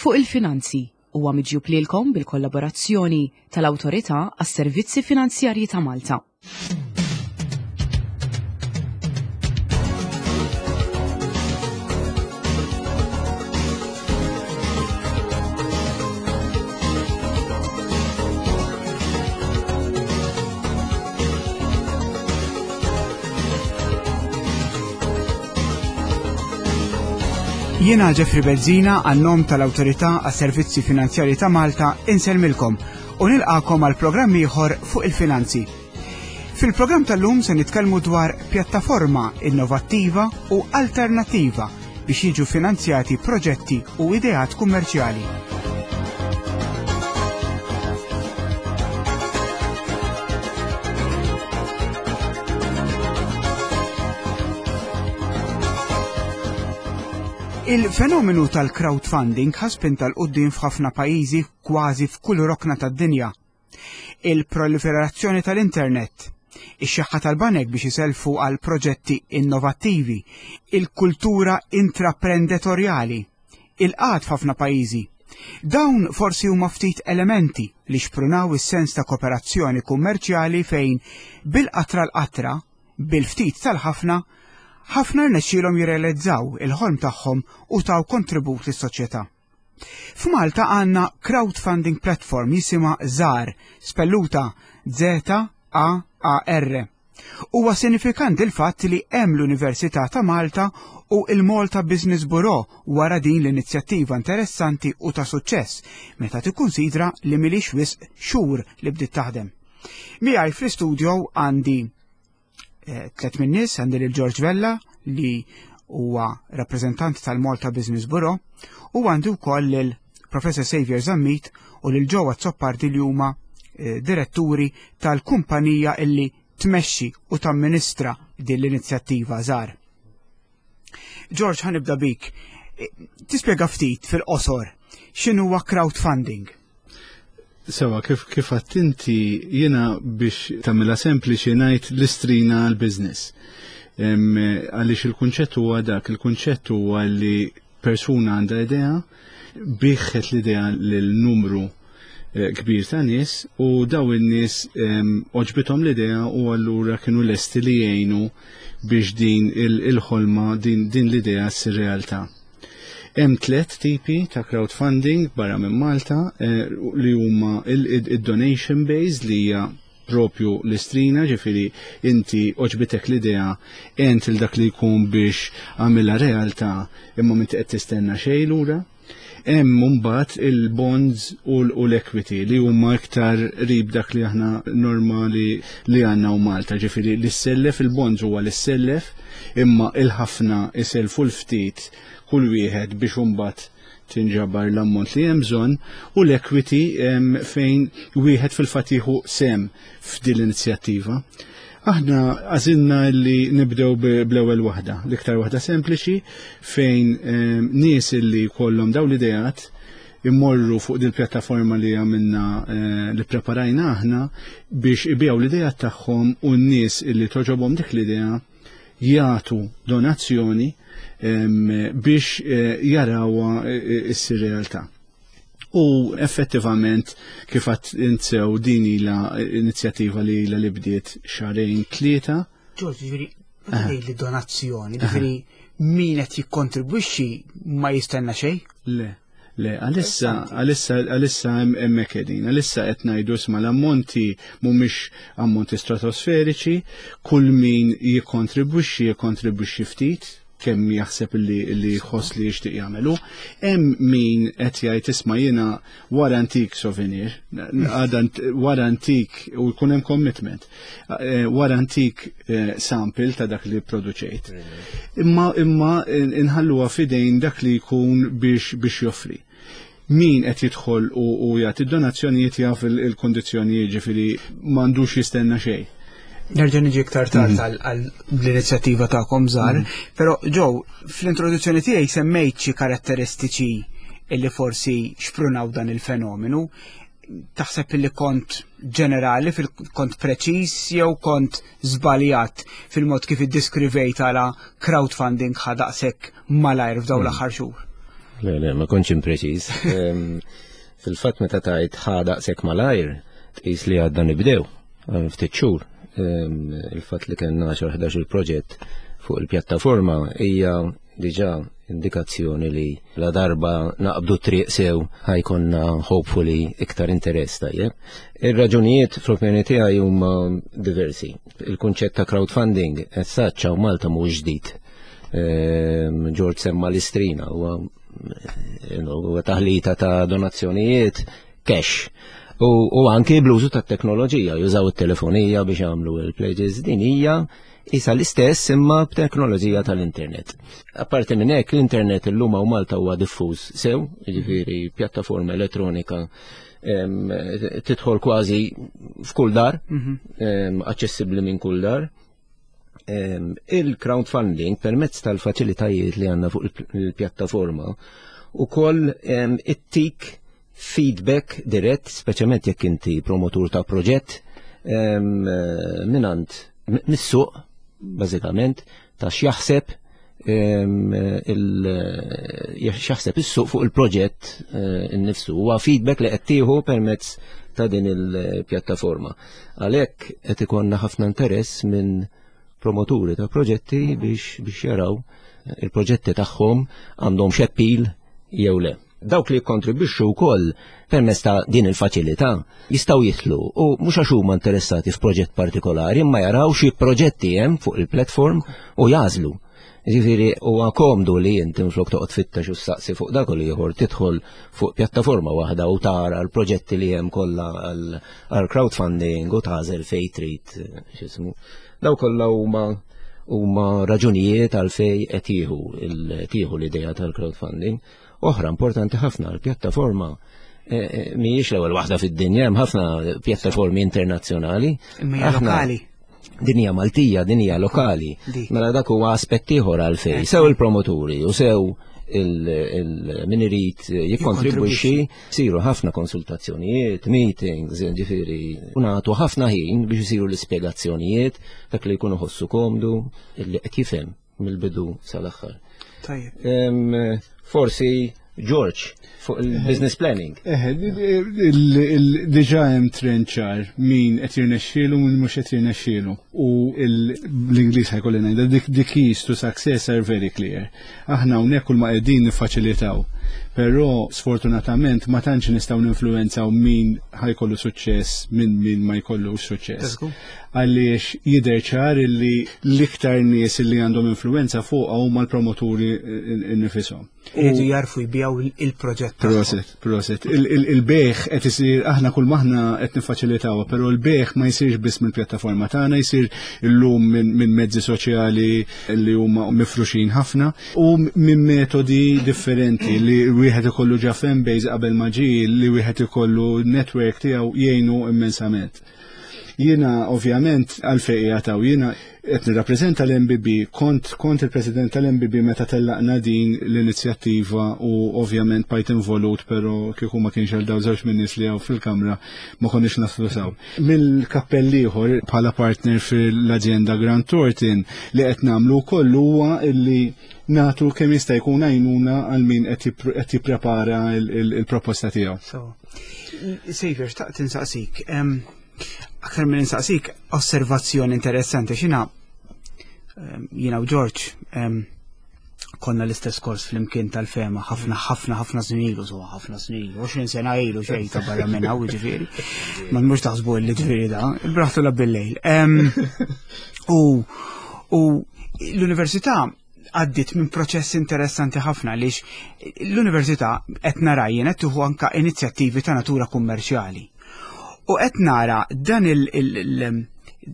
Fuq il-Finanzi huwa miġjub lilkom bil-kollaborazzjoni tal-Awtorità għas-Servizzi Finanzjarji ta' Malta. Jiena Jeffrey Bezzina għan-nom tal-Awtorità għas-Servizzi Finanzjarji ta' Malta insellmilkom u nilqakom għal programm ieħor fuq il-finanzi. Fil-programm tal-lum se nitkellmu dwar pjattaforma innovattiva u alternattiva biex jiġu finanzjati proġetti u ideat kummerċjali. Il-fenomenu tal-crowdfunding ħa spinta 'l quddiem f'ħafna pajjiżi kważi f'kull rokna tad-dinja. Il-proliferazzjoni tal-internet, ix-xeħħa tal-banek biex isellfu għal proġetti innovattivi, il-kultura intraprenditorjali, il-qgħad f'ħafna pajjiżi. Dawn forsi huma ftit elementi li xprunaw is-sens ta' kooperazzjoni kummerċjali fejn bil-qatra l-qatra, bil-ftit tal-ħafna, ħafna rnexxielhom jirrealizzaw il-ħolm tagħhom u taw kontribut lis-soċjetà. F'Malta għandna crowdfunding platform jisimha ZAR, spelluta Z-A-A-R. Huwa sinifikanti l-fatt li hemm l-Università ta' Malta u l-Malta Business Bureau wara din l-inizjattiva interessanti u ta' suċċess meta tikkunsidra li milix wisq xhur li bdiet taħdem. Miegħi fl-istudio għandi eh, tlet min-nies għandi lil George Vella li huwa rappreżentant tal-Malta Business Bureau u għandi wkoll lil Professor Xavier Zammit u lil Joe Azzopardi li huma eh, diretturi tal-kumpanija illi tmexxi u tamministra din l-inizjattiva żgħar. George, ħanibda bik. Eh, tispjega ftit fil-qosor x'inhuwa crowdfunding? Sewa, kif kif inti jiena biex tagħmilha sempliċi ngħid l-istrina għall-business. Għaliex il-kunċett huwa dak, il-kunċett huwa li persuna għandha idea, biħħet l-idea lil numru eh, kbir ta' nies u daw in-nies oġbithom l-idea u allura kienu lesti li jgħinu biex din il-ħolma, din, din l-idea ssir realtà. Hemm tliet tipi ta' crowdfunding barra minn Malta eh, li huma il-donation based li hija propju l-istrina, ġifiri inti oġbitek l-idea ent il dak li jkun biex għamilha realtà imma m'inti qed tistenna xejn lura. Hemm mbagħad il-bonds u l-equity li huma iktar rib dak li aħna normali li għandna u Malta, ġifieri li sellef il-bonds huwa li sellef imma il-ħafna iselfu l-ftit kull wieħed biex imbagħad tinġabar l-ammont li hemm bżonn u l-equity fejn wieħed fil-fatt jieħu sem f'din l-inizjattiva. Aħna għażilna li nibdew bl-ewwel waħda, l-iktar waħda sempliċi fejn ehm, nies li kollhom daw l-ideat immorru fuq dil pjattaforma li għamilna eh, li preparajna aħna biex ibijaw l-idea tagħhom u n-nies li toġobhom dik l-idea jagħtu donazzjoni ehm, biex eh, jarawha eh, issir realtà. U effettivament kif għat intsew din ila inizjattiva li ila li bdiet xarejn tlieta. Ġorġ, ġifieri, li donazzjoni, ġifieri min qed jikkontribwixxi ma jistenna xejn? Le. Le, għalissa, għalissa, għalissa hemmhekk qegħdin, għalissa qed ngħidu isma' l-ammonti mhumiex ammonti stratosferiċi, kull min jikkontribwixxi jikkontribwixxi ftit, kemm jaħseb li li jħoss li jixtieq jagħmelu. Hemm min qed jgħid isma' jiena wara antik souvenir, għada wara antik u jkun hemm commitment, eh, wara antik eh, sample ta' dak li produċejt. Imma imma inħalluha f'idejn dak li jkun biex biex joffri. Min qed jidħol u, u jagħti donazzjonijiet jaf il-kondizzjonijiet ġifieri m'għandux jistenna xejn. Nerġa' niġi iktar tard mm. għal l-inizjattiva tagħkom żgħar, mm. però ġew fl-introduzzjoni tiegħi semmejt xi karatteristiċi illi forsi xprunaw dan il-fenomenu. Taħseb illi kont ġenerali, kont preċiż jew kont żbaljat fil-mod kif iddiskrivejt għala crowdfunding ħa daqshekk malajr f'dawn mm. l-aħħar xhur? Le, le, ma kontx impreċiż. Fil-fatt meta tajt ħa daqshekk malajr, tqis li għadna nibdew ftit xhur. Il-fatt li kellna 10-11 il-proġett fuq il-pjattaforma hija diġà indikazzjoni li la darba naqbdu triq sew ħajkonna hopefully iktar interess tajjeb. Ir-raġunijiet fl-opinjoni tiegħi huma diversi. Il-kunċett ta' crowdfunding as such hawn Malta mhux ġdid. George semma l-istrina huwa taħlita ta' donazzjonijiet cash. U, u anki bl-użu ta' teknoloġija, jużaw it-telefonija biex jagħmlu il-pledges, din hija isa l-istess imma b'teknoloġija tal-internet. Apparti minn hekk l-internet illum hawn Malta huwa diffuż sew, jiġifieri pjattaforma elettronika tidħol kważi f'kull dar, aċċessibbli minn kull dar. Il-crowdfunding permezz tal-faċilitajiet li għandna fuq il-pjattaforma u koll it-tik feedback dirett, speċjalment jekk inti promotur ta' proġett, minant mis-suq, bażikament, ta' x'jaħseb x'jaħseb is-suq fuq il-proġett eh, innifsu. Huwa feedback li qed tieħu permezz ta' din il-pjattaforma. Għalhekk qed ikollna ħafna interess minn promoturi ta' proġetti biex biex jaraw il-proġetti tagħhom għandhom xeppil jew le. Dawk li jikkontribwixxu wkoll permezz ta' din il-faċilità jistgħu jidħlu u mhux għax huma interessati f'proġett partikolari imma jaraw xi proġetti hemm fuq il-platform u jagħżlu. Ġifieri huwa komdu li inti minflok toqgħod tfittex u ssaqsi fuq dak u l-ieħor tidħol fuq pjattaforma waħda u tara l-proġetti li hemm kollha għal crowdfunding u tagħżel fejn trid x'ismu. Daw kollha huma huma raġunijiet għal fej qed jieħu tieħu l-idea tal-crowdfunding. Oħra importanti ħafna l-pjattaforma eh, eh, mhijiex l-ewwel waħda fid-dinja, hemm ħafna pjattaformi internazzjonali. Imma lokali. Din hija Maltija, din hija lokali. Mela dak huwa aspett ieħor għalfejn. Sew il-promoturi u sew il-min irid jikkontribwixxi siru ħafna konsultazzjonijiet, meetings, ġifieri, u nagħtu ħafna ħin biex isiru l-ispjegazzjonijiet dak li jkunu ħossu komdu illi qed jifhem mill-bidu sal-aħħar. Tajjeb. Forsi George fuq il-business planning. Eħe, diġa hemm trend ċar min qed jirnexxielu min mhux qed jirnexxielu. U l-Ingliż ħajkolli ngħidha the keys to success are very clear. Aħna hawnhekk kull ma qegħdin niffaċilitaw. Però sfortunatament ma tantx nistgħu ninfluwenzaw min ħajkollu suċċess minn min ma jkollux suċċess. Għaliex jidher ċar li l-iktar nies li għandhom influwenza fuqha huma l-promoturi nifishom. Iridu jarfu jbijaw il-proġett. Proset, proset. Il-bejħ qed isir aħna kull maħna qed niffaċilitawha, però l-bejħ ma jsirx biss mill-pjattaforma tagħna, jsir illum minn mezzi soċjali li huma mifruxin ħafna u minn metodi differenti li wieħed ikollu ġa fanbase qabel ma ġie li wieħed ikollu network tiegħu jgħinu immensament. Jiena ovvjament għalfejn qiegħed hawn, jiena qed nirrappreżenta l-MBB, kont kont il-President tal-MBB meta tellaqna din l-inizjattiva u ovvjament bajt involut però kieku ma kienx għal dawn żewġ min-nies li hawn fil-kamra ma konniex naslu saw. Mill-kappell ieħor bħala partner fil-azienda Grant Thornton li qed nagħmlu wkoll huwa illi nagħtu kemm jista' jkun għajnuna għal min qed jipprepara il-proposta tiegħu. Xavier, xtaqt insaqsik. Aktar minn insaqsik osservazzjoni interessanti xina jiena u George konna l-istess kors fl-imkien tal-fema ħafna ħafna ħafna snin ilu, so ħafna snin ilu, 20 sena ilu xejn ta' barra minn hawn ġifieri. Ma mhux taħsbu li ġifieri da, braħtu la bil-lejl. U u l-università għaddit minn proċess interessanti ħafna għaliex l-università qed nara jien qed tieħu anka inizjattivi ta' natura kummerċjali. U qed nara dan il, il,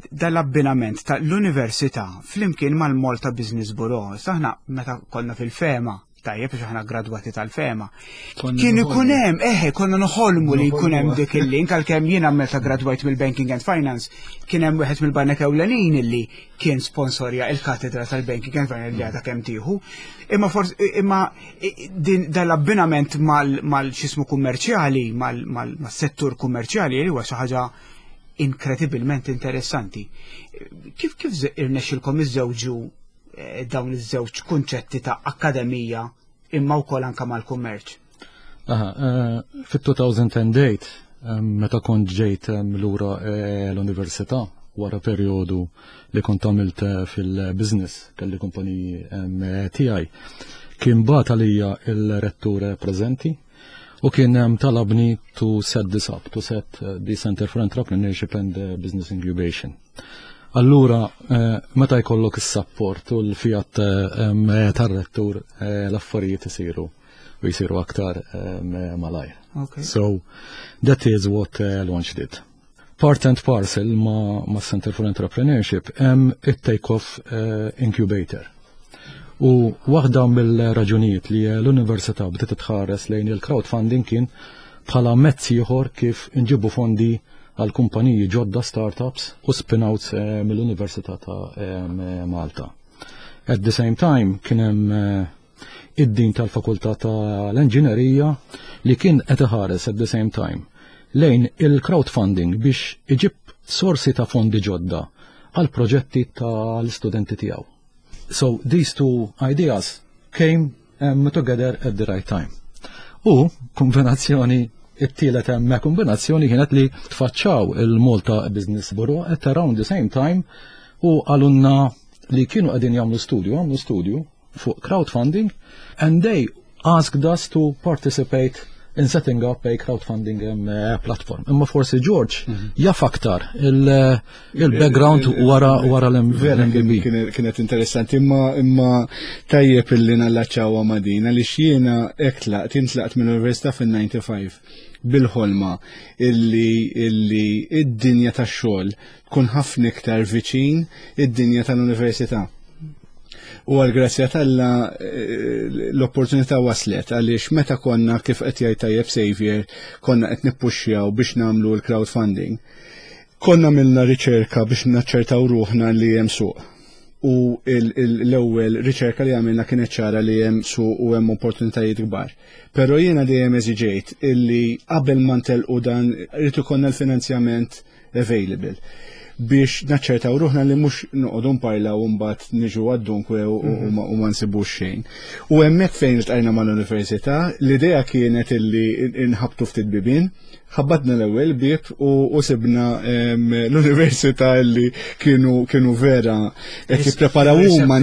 dal-abbinament ta' l-università flimkien mal-Malta Business Bureau. Saħna meta konna fil-fema, tajjeb biex aħna gradwati tal-fema. Kien ikun hemm, eħe, konna noħolmu li jkun hemm dik il-link għalkemm jiena meta gradwajt mill-Banking and Finance kien hemm wieħed mill-banek ewlenin illi kien sponsorja il-katedra tal-Banking and Finance li għadha kemm tieħu. Imma forsi imma din dal-abbinament mal-xismu kummerċjali, mal-settur kummerċjali li huwa xi ħaġa inkredibilment interessanti. Kif kif irnexxilkom iżżewġu eh, dawn iż-żewġ kunċetti ta' akkademija? imma wkoll anke mal-kummerċ. Aha, fit-2008 meta kont ġejt lura l-università wara perjodu li kont għamilt fil-business kelli kumpaniji tiegħi kien bagħat għalija il-rettur preżenti u kien talabni to set this up, to set the Center for Entrepreneurship and Business Incubation. Allura, meta jkollok is-support u l-fiat tar-rettur, l-affarijiet isiru u jisiru aktar malajr. So, that is what Launch did. Part and parcel ma Center for Entrepreneurship hemm it-Take-Off Incubator. U waħda mill-raġunijiet li l-università bdiet tħares lejn il-crowdfunding kien bħala mezz ieħor kif inġibu fondi għal kumpaniji ġodda, startups u spin-outs mill-Università ta' Malta. At the same time kien hemm id-din tal-Fakultà tal-Enġinerija li kien qed iħares at the same time lejn il-crowdfunding biex iġib sorsi ta' fondi ġodda għal proġetti tal-istudenti tiegħu. So these two ideas came together at the right time. U kombinazzjoni, it-tielet hemm kombinazzjoni kienet li tfaċċaw il-Malta Business Bureau at around the same time u qalulna li kienu qegħdin jagħmlu studju, għamlu studju fuq crowdfunding, and they asked us to participate in setting up a crowdfunding platform. Imma forsi George jaf aktar il-background wara Vera l-MBB. Kienet interessanti, imma tajjeb illi nallaċċawha ma' din, għaliex jiena hekk tlaqt, jien tlaqt mill-università fin-95 bil-ħolma illi id-dinja tax-xogħol tkun ħafna iktar viċin id-dinja tal-università. U għal-grazzja t'Alla l-opportunità waslet għaliex meta konna, kif qed jgħid tajjeb Xavier, konna qed nippuxxjaw biex nagħmlu l-crowdfunding. Konna għamilna riċerka biex naċċertaw ruħna li hemm suq. U l-ewwel riċerka li għamilna kienet ċara li hemm suq u hemm opportunitajiet kbar. Però jiena dejjem eżiġejt illi qabel ma ntelqu dan irid ikollna l-finanzjament available biex naċċertaw ruħna li mhux noqogħdu nparlaw u mbagħad niġu għad-dunkwe u ma nsibux xejn. U hemmhekk fejn iltqajna mal-università, l-idea kienet illi nħabtu ftit bibien, ħabbatna l-ewwel bieb u sibna l-università illi kienu vera qed jippreparaw huma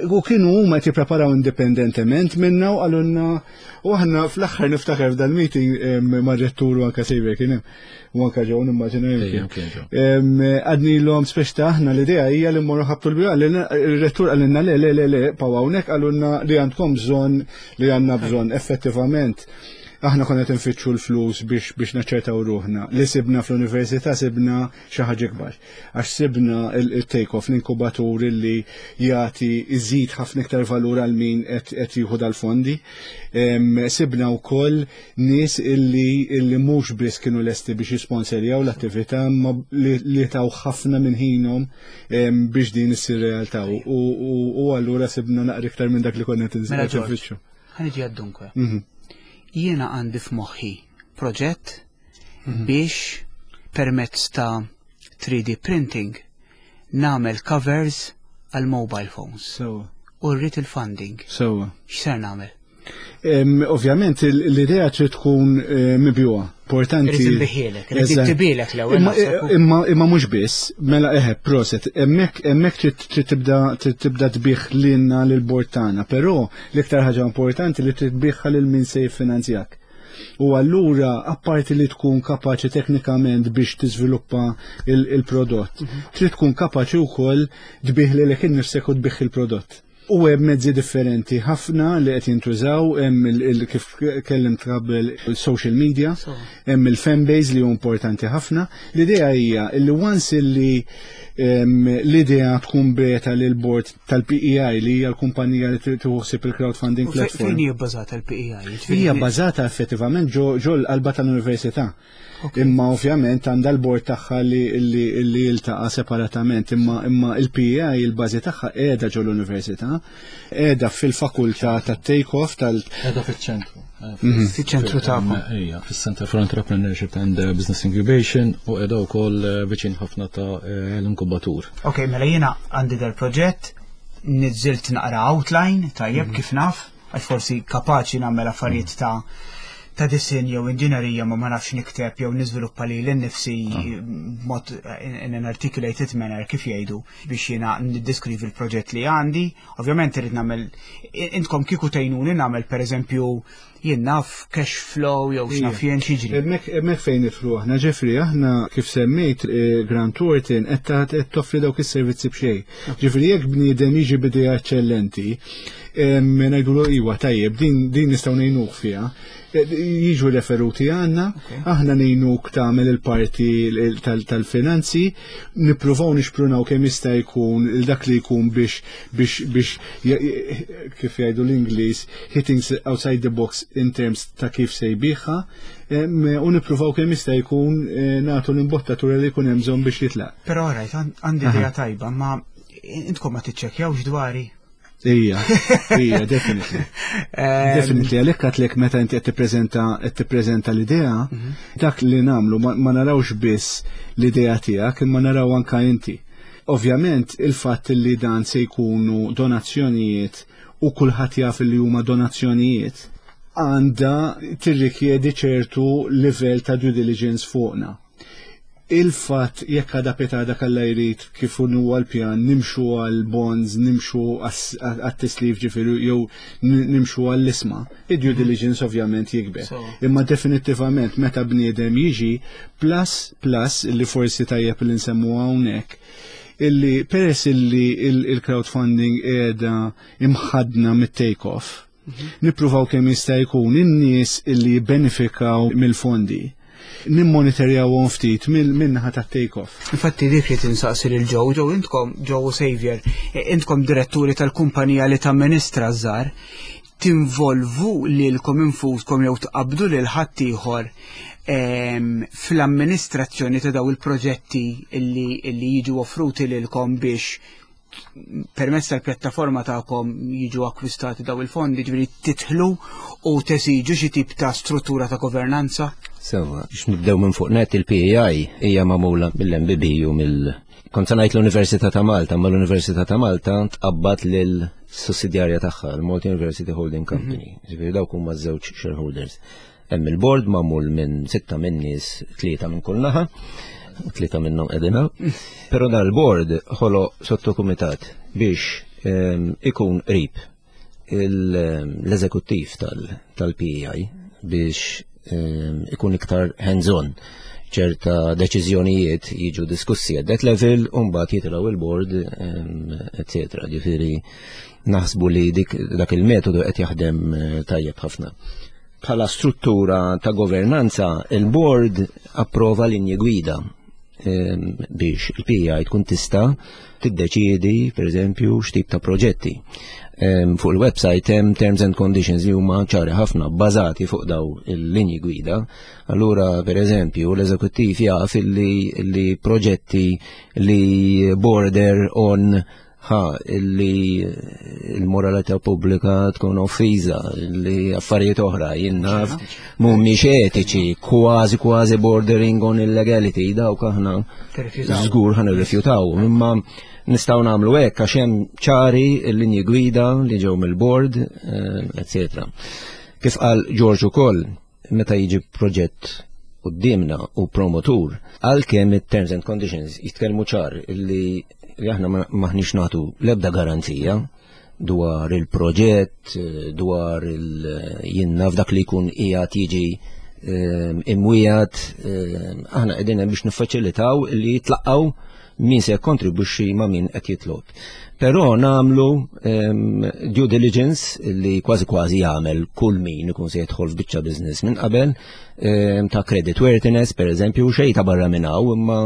u kienu huma qed jippreparaw indipendentement minna u qalulna, u aħna fl-aħħar niftakar f'dal-meeting mar-rettur u anke Xavier kien hemm. U anka ġew nimmaġina Ejja, kien ġew. Għadnilhom speċ ta' aħna l-idea hija li mmorru ħabtu l-bieb, il-rettur qalilna le, le, le, le, paw hawnhekk, qalulna li għandkom bżonn, li għandna bżonn. Effettivament, aħna konna qed nfittxu l-flus biex naċċertaw ruħna. Li sibna fl-università sibna xi ħaġa kbar. Għax sibna il-take-off, l-inkubatur li jagħti iżid ħafna iktar valur għal min qed jieħu dal-fondi. Sibna wkoll nies illi mhux biss kienu lesti biex jisponserjaw l-attività, ma li taw ħafna minn ħinhom biex din issir realtà. U allura sibna naqra iktar minn dak li konna qed Mela, George, nfittxu. Ħa niġi għad-dunkwe. Jiena għandi f'moħħi proġett biex permezz ta' 3D printing nagħmel covers għal mobile phones. U rrid il-funding. X'ser nagħmel? Ovvjament l-idea trid tkun mibjugħa. Importanti. Irrid inbiħielek, irrid intibilek l-ewwel naħseb. Imma mhux biss, mela eħe, proset, hemmhekk trid tibda tbih lilna lil-bord tagħna, però l-iktar ħaġa importanti li trid tbigħha lil min se jiffinanzjak. U allura, apparti li tkun kapaċi teknikament biex tiżviluppa il-prodott, trid tkun kapaċi wkoll tbih lilek innifsek u tbih il-prodott. U hemm mezzi differenti ħafna li qed jintużaw, hemm kif kellimt qabel social media, hemm il-fanbase li hu importanti ħafna. L-idea hija li once illi l-idea tkun beta lil board tal-PEI li hija l-kumpanija li tieħu il-crowdfunding U platform. fejn hija bbażata l-PEI? Jiġifieri Hija bbażata effettivament ġo l-qalba tal-università. Imma ovvjament għandha l-board tagħha li jiltaqa' separatament, imma il-PEI il-bażi tagħha qiegħda ġo l-università, qiegħda fil-fakultà tat-take-off tal- Qiegħda fiċ-ċentru. Fiċ-ċentru tagħkom. Ejja, fis-Center for Entrepreneurship and Business Incubation u qiegħda wkoll viċin ħafna ta' l-inkubatur. Ok, mela jiena għandi dal proġett, niżilt naqra outline, tajjeb, kif naf. Għax forsi kapaċi nagħmel affarijiet ta' ta' disin jew inġinerija ma ma nafx nikteb jew niżviluppa li l-nifsi ah. mod in an articulated manner kif jgħidu biex jiena niddeskrivi l-proġett li għandi. Ovvjament irid nagħmel intkom kieku tgħinuni nagħmel pereżempju jien naf cash flow jew x'naf jien x'jiġri. Hemmhekk fejn nidħlu aħna, ġifri aħna kif semmejt eh, Grant Thornton qed toffri dawk is-servizzi b'xejn. Ġifri jekk bniedem jiġi b'idea eċċellenti, ngħidulu iwa tajjeb din din nistgħu ngħinuk fiha. Eh, jiġu referuti għanna, aħna ngħinuk tagħmel il-parti tal-finanzi, nippruvaw nixprunaw kemm jista' jkun dak li jkun biex biex biex kif jgħidu l-Ingliż hitting outside the box in terms ta' kif se jbiħha u nippruvaw kemm jista' jkun eh, nagħtu l-imbottatura li jkun hemm bżonn biex jitlaq. Però rajt għandi idea tajba, ma intkom ma tiċċekkjawx dwari. Ija, ija, definitely. Definitely, għalhekk għatlek meta inti qed tippreżenta qed tippreżenta l-idea, mhm. dak li nagħmlu ma narawx biss l-idea tiegħek imma naraw anka inti. Ovvjament il-fatt li dan se jkunu donazzjonijiet u kulħadd jaf li huma donazzjonijiet għandha tirrikjedi ċertu livell ta' due diligence fuqna. Il-fatt jekk għada pitada kalla jrid kif huwa l-pjan nimxu għal bonds, nimxu għat-tislif ġifieri jew nimxu għall-isma, id-due diligence ovvjament jikber. Imma definittivament meta bniedem jiġi plus plus li forsi tajjeb li nsemmu hawnhekk illi peress illi il-crowdfunding qiegħda imħadna mit-take-off, mhm. nippruvaw kemm jista' jkun in-nies illi jibbenefikaw mill-fondi nimmonitorjawhom ftit min-naħa tat-take-off. Infatti dik li tinsaqsi lil Joe, Joe intkom Joe Xavier, intkom diretturi tal-kumpanija li tamministra żgħar, tinvolvu lilkom infuskom jew tqabbdu lil ħaddieħor ehm, fl-amministrazzjoni ta' daw il-proġetti illi, illi jiġu offruti lilkom biex permezz tal-pjattaforma tagħkom jiġu akkwistati daw il-fondi, ġifieri titħlu u tesiġu xi tip ta' struttura ta' governanza? Sewa, biex nibdew minn fuq net il-PEI hija magħmula mill-MBB u mill Kont se ngħid l-Università ta' Malta, ma l-Università ta' Malta tqabbad lil sussidjarja tagħha, l-Malta University Holding Company. Mhm. Ġifieri dawk huma żewġ shareholders. Hemm il-board magħmul minn sitta minn nies, tlieta minn kull naħa, tlieta minnhom qegħdin hawn. Però dan il-board ħoloq sottokumitat biex ehm, ikun qrib l-eżekuttiv tal-PEI biex ehm, ikun iktar hands-on ċerta deċiżjonijiet jiġu diskussi at that level u mbagħad jitilgħu il-board ehm, etc. Ġifieri naħsbu li dik dak il-metodu qed jaħdem eh, tajjeb ħafna. Bħala struttura ta' governanza, il-board approva linji gwida ehm, biex il-PI tkun tista' tiddeċiedi, per eżempju, x'tip ta' proġetti. Ehm, fuq il-website hemm terms and conditions li huma ċari ħafna bbażati fuq daw il-linji gwida. Allura, per eżempju, l-eżekuttiv jaf li, li proġetti li border on ħa li l-moralità pubblika tkun offiża, li affarijiet oħra jinnaf mhumiex etiċi, kważi kważi bordering on illegality, dawk aħna żgur ħan irrifjutaw. Imma nistgħu nagħmlu hekk għax hemm ċari l-linji gwida li ġew mill-board, eccetera. Eh, Kif qal George ukoll, meta jiġi proġett qudiemna u promotur, għalkemm it-terms and conditions jitkellmu ċar li li aħna maħniex nagħtu l-ebda garanzija dwar il-proġett, dwar il-jinna f'dak li jkun qiegħed jiġi ehm, imwijat, ehm, aħna qegħdin hemm biex niffaċilitaw li jitlaqgħu min se jikkontribwixxi ma' min qed jitlob. Però nagħmlu ehm, due diligence li kważi kważi jagħmel kull min ikun se jidħol f'biċċa business minn qabel ehm, ta' credit worthiness pereżempju xejn ta' barra minn hawn imma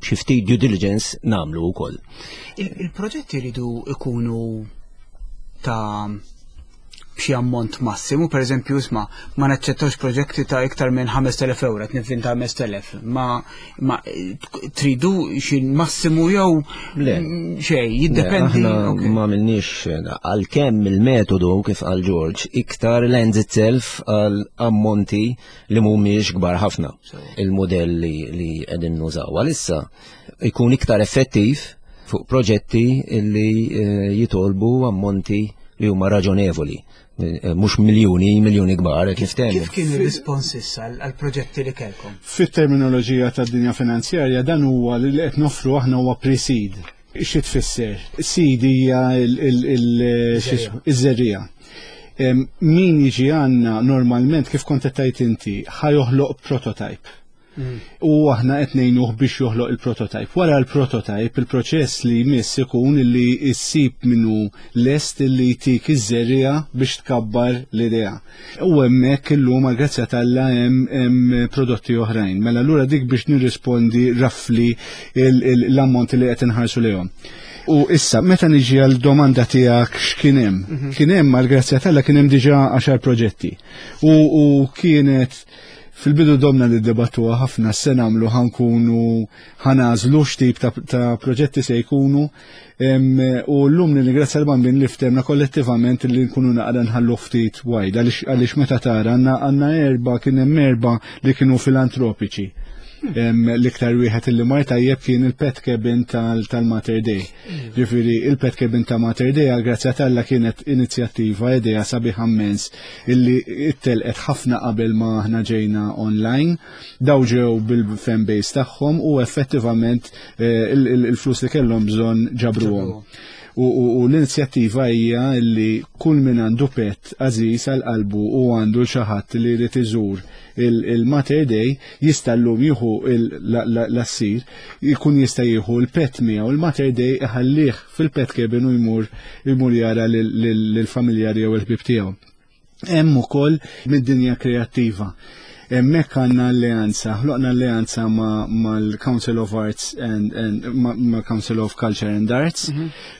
xi ftit due diligence nagħmlu wkoll. Il-proġetti jridu ikunu ta' b'xi ammont massimu, per eżempju, isma' ma naċċettawx proġetti ta' iktar minn 5,000 euro, qed nivvinta 5,000, ma, ma tridu xi massimu jew Le. xejn, jiddependi. Aħna ma minniex għalkemm il-metodu kif qal George iktar lends itself għal ammonti li mhumiex kbar ħafna. Il-modell li, li qegħdin nużaw għalissa jkun iktar effettiv fuq proġetti li eh, jitolbu ammonti li huma raġonevoli, mhux miljuni, miljuni kbar, kif Kif kien ir-rispons issa għall-proġetti li kellkom? Fit-terminoloġija tad-dinja finanzjarja dan huwa li qed noffru aħna huwa pre-seed. Xi tfisser? Seed hija iż-żerriegħa. Min jiġi għandna normalment kif kont qed tgħid inti ħa joħloq prototype. U aħna qed ngħinuh biex joħloq il-prototype. Wara l-prototype, il-proċess li jmiss ikun li issib minnu lest li jtik iż-żerriegħa biex tkabbar l-idea. U hemmhekk illum għal grazzja t'Alla hemm prodotti oħrajn. Mela allura dik biex nirrispondi roughly l-ammont li qed inħarsu lejhom. U issa, meta niġi għal domanda tiegħek x'kien hemm? Kien hemm għal grazzja t'Alla kien hemm diġà 10 proġetti. U kienet fil-bidu domna li debattuha ħafna se nagħmlu ħa nkunu ħa nagħżlu x'tip ta' proġetti se jkunu. U llum nirringrazzja l-Bambin li ftehmna kollettivament li nkunu naqra nħallu ftit wide għaliex meta tara għandna erba' kien hemm erba' li kienu filantropiċi. L-iktar wieħed illi mar tajjeb kien il-pet cabin tal-Mater Dei. Ġifieri il-pet cabin ta' Mater Dei għal grazzja t'Alla kienet inizjattiva idea sabiħa immens illi ittelqet ħafna qabel ma aħna ġejna online. Daw ġew bil-fan base tagħhom u effettivament il-flus li kellhom bżonn ġabruhom. U l-inizjattiva hija li kull min għandu pet għażiż għal qalbu u għandu xi ħadd li jrid iżur il-Mater Dei jista' llum jieħu l-assir, jkun jista' jieħu l-pet miegħu il-Mater Dei iħallih fil-pet cabin u jmur jara lill-familjari jew il-ħbieb tiegħu. Hemm ukoll mid-dinja kreattiva. Hemmhekk għandna alleanza, ħloqna alleanza mal-Council of Arts and ma' Council of Culture and Arts,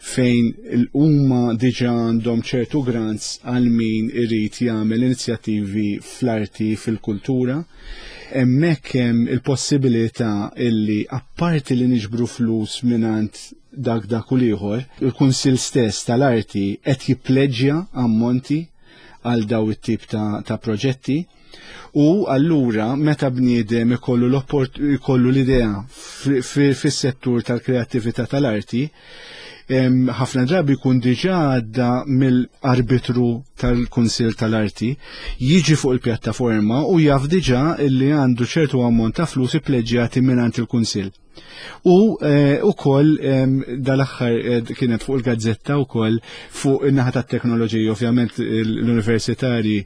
fejn huma diġà għandhom ċertu grants għal min irid jagħmel inizjattivi fl-arti, fil-kultura. Hemmhekk hemm il-possibilità illi apparti li niġbru flus mingħand dak u l-ieħor, il-Kunsill stess tal-Arti qed jippleġġja ammonti għal daw it-tip ta' proġetti. U allura meta bniedem ikollu l-idea fis-settur tal-kreattività tal-arti, ħafna drabi jkun diġà għadda mill-arbitru tal-Kunsill tal-Arti, jiġi fuq il-pjattaforma u jaf diġà illi għandu ċertu ammont ta' flus ippleġġjati mingħand il-Kunsill. U ukoll dal-aħħar kienet fuq il-gazzetta wkoll fuq in-naħa tat-teknoloġija, ovvjament l-universitari,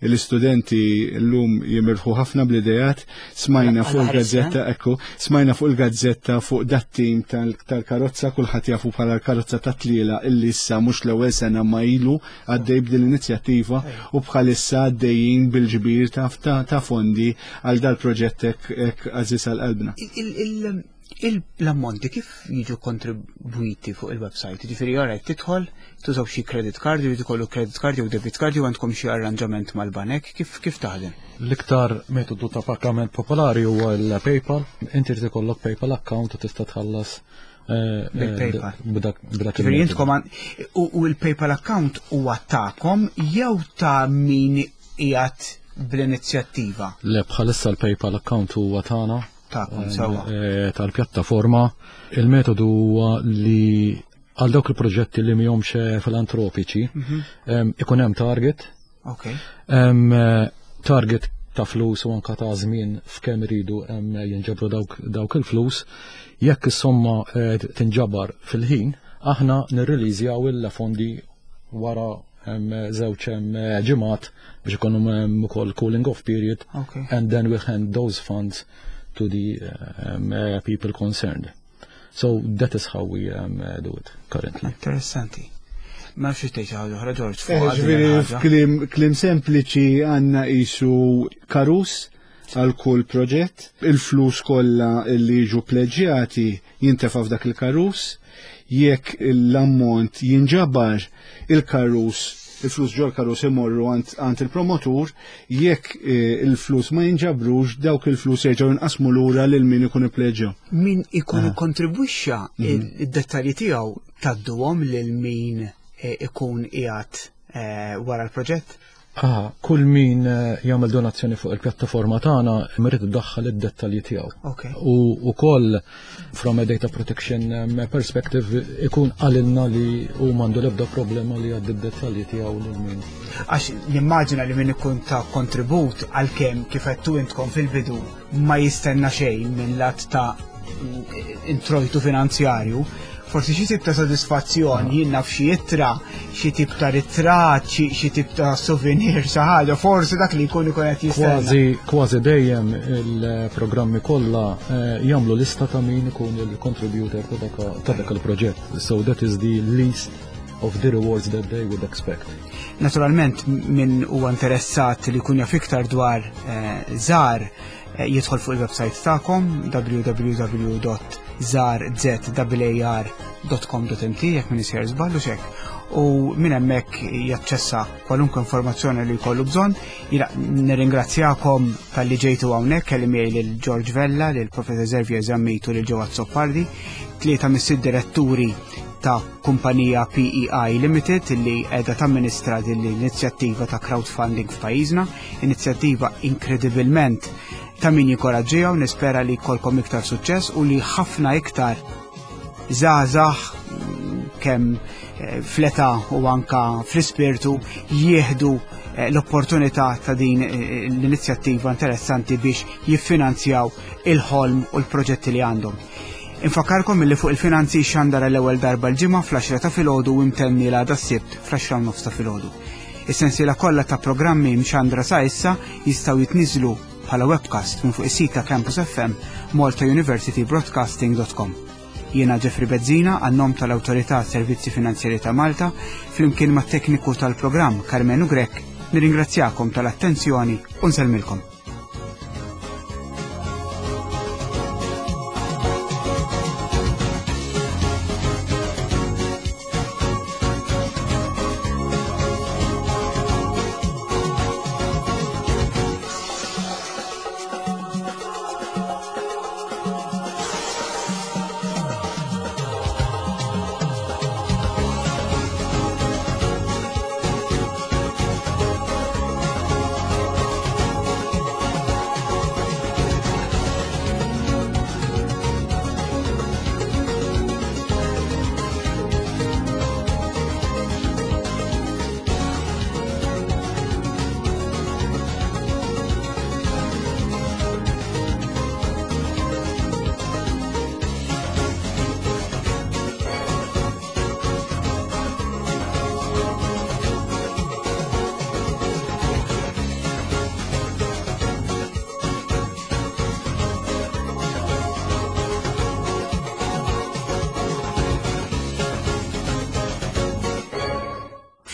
l-istudenti llum jimirħu ħafna bl-idejat, smajna fuq il-gazzetta, ekku, smajna fuq il-gazzetta fuq dat-tim tal-karozza, kulħadd jafu bħala l-karozza tat-tliela illi issa mhux l-ewwel sena ma ilu għaddej b'din l-inizjattiva u bħalissa għaddejjin bil-ġbir ta' fondi għal dal-proġett hekk għażiż għal qalbna. L-ammonti kif jiġu kontribwiti fuq il-website? Ġifieri alright, tidħol, tużaw xi credit card, jrid ikollu credit card jew debit card jew għandkom xi arranġament mal-banek, kif taħdem? L-iktar metodu ta' pagament popolari huwa l-PayPal. Inti trid ikollok PayPal account u tista' tħallas bil-PayPal. b'dak Ġifieri il-metodu. intkom u l-PayPal account huwa tagħkom jew ta' min qiegħed bl-inizjattiva? Le, bħalissa l-PayPal account huwa tagħna. Tagħkom, sewwa. Tal-pjattaforma. Il-metodu huwa li għal dawk il-proġetti li mhumiex filantropiċi, ikun hemm target. Target ta' flus u anka ta' żmien f'kemm iridu jinġabru dawk il-flus. Jekk is-somma tinġabar fil-ħin, aħna nirreleasjaw il-fondi wara żewġ ġimgħat biex ikunu ukoll cooling off period. And then we hand those funds to the people concerned. So that is how we do it currently. Interessanti. Ma nafx tgħid xi ħaġa oħra, George, fuq għadin Ġifieri il-ħaġa. Kliem sempliċi għandna qisu karus għal kull proġett, il-flus kollha li jiġu pleġġjati jintefa' f'dak il-karus, jekk l-ammont jinġabar il-karus, il-flus ġol karus imorru għand il-promotur, jekk il-flus ma jinġabrux, dawk il-flus jerġgħu jinqasmu lura lil min ikun ippleġġja. Min ikun ikkontribwixxa id-dettalji tiegħu tgħadduhom lil min ikun qiegħed wara l-proġett? Ah, kull min eh, jagħmel donazzjoni fuq il-pjattaforma tagħna irid iddaħħal id-dettalji tiegħu. U wkoll from a data protection perspective ikun qalilna li hu m'għandu l-ebda problema li jgħaddi d-dettalji tiegħu lil min. Għax nimmaġina li min ikun ta' kontribut għalkemm kif għedtu intkom fil-bidu ma jistenna xejn minn lat ta' introjtu finanzjarju, forsi xi tip ta' sodisfazzjon, jien naf xi ittra, xi tip ta' ritratt, xi tip ta' souvenir, xi ħaġa, forsi dak li jkun ikun qed jistenna. Kważi kważi dejjem il-programmi kollha eh, jagħmlu lista ta' min ikun il-contributor ta' dak il-proġett. So that is the least of the rewards that they would expect. Naturalment min huwa interessat li jkun jaf iktar dwar eh, żar eh, jidħol fuq il-website tagħkom www.zarzar.com.mt jekk min isjer żball u xek. U minn hemmhekk jaċċessa kwalunkwe informazzjoni li jkollu bżonn. Jiena nirringrazzjakom talli ġejtu hawnhekk kelli miegħi lil George Vella, lil Professor Xavier Zammit u lil Joe Azzopardi, tlieta mis-sitt diretturi ta' kumpanija PEI Limited li qiegħda tamministra din l-inizjattiva ta' crowdfunding f'pajjiżna, inizjattiva inkredibilment ta' min jinkoraġġiha u nispera li jkollkom iktar suċċess u li ħafna iktar żgħażagħ kemm eh, fl-età u anka fl-ispirtu jieħdu eh, l-opportunità ta' din eh, l-inizjattiva interessanti biex jiffinanzjaw il-ħolm u l-proġetti li għandhom. Infakkarkom illi fuq il-finanzi xandara l-ewwel darba l-ġimgħa fl-10 ta' filgħodu u imtenni l-għada s-Sibt fl-10 nofs ta' filgħodu. Is-sensiela kollha ta' programmi mxandra sa issa jistgħu jitniżlu bħala webcast minn fuq is-sit ta' Campus FM maltauniversitybroadcasting.com. Jiena Jeffrey Bezzina għan-nom tal-Awtorità Servizzi Finanzjari ta' Malta flimkien mat-tekniku tal-programm Karmenu Grech nirringrazzjakom tal-attenzjoni u nsellmilkom.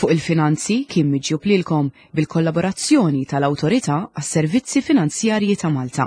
Fuq il-finanzi kien miġjub lilkom bil-kollaborazzjoni tal-Awtorità għas-Servizzi Finanzjarji ta' Malta.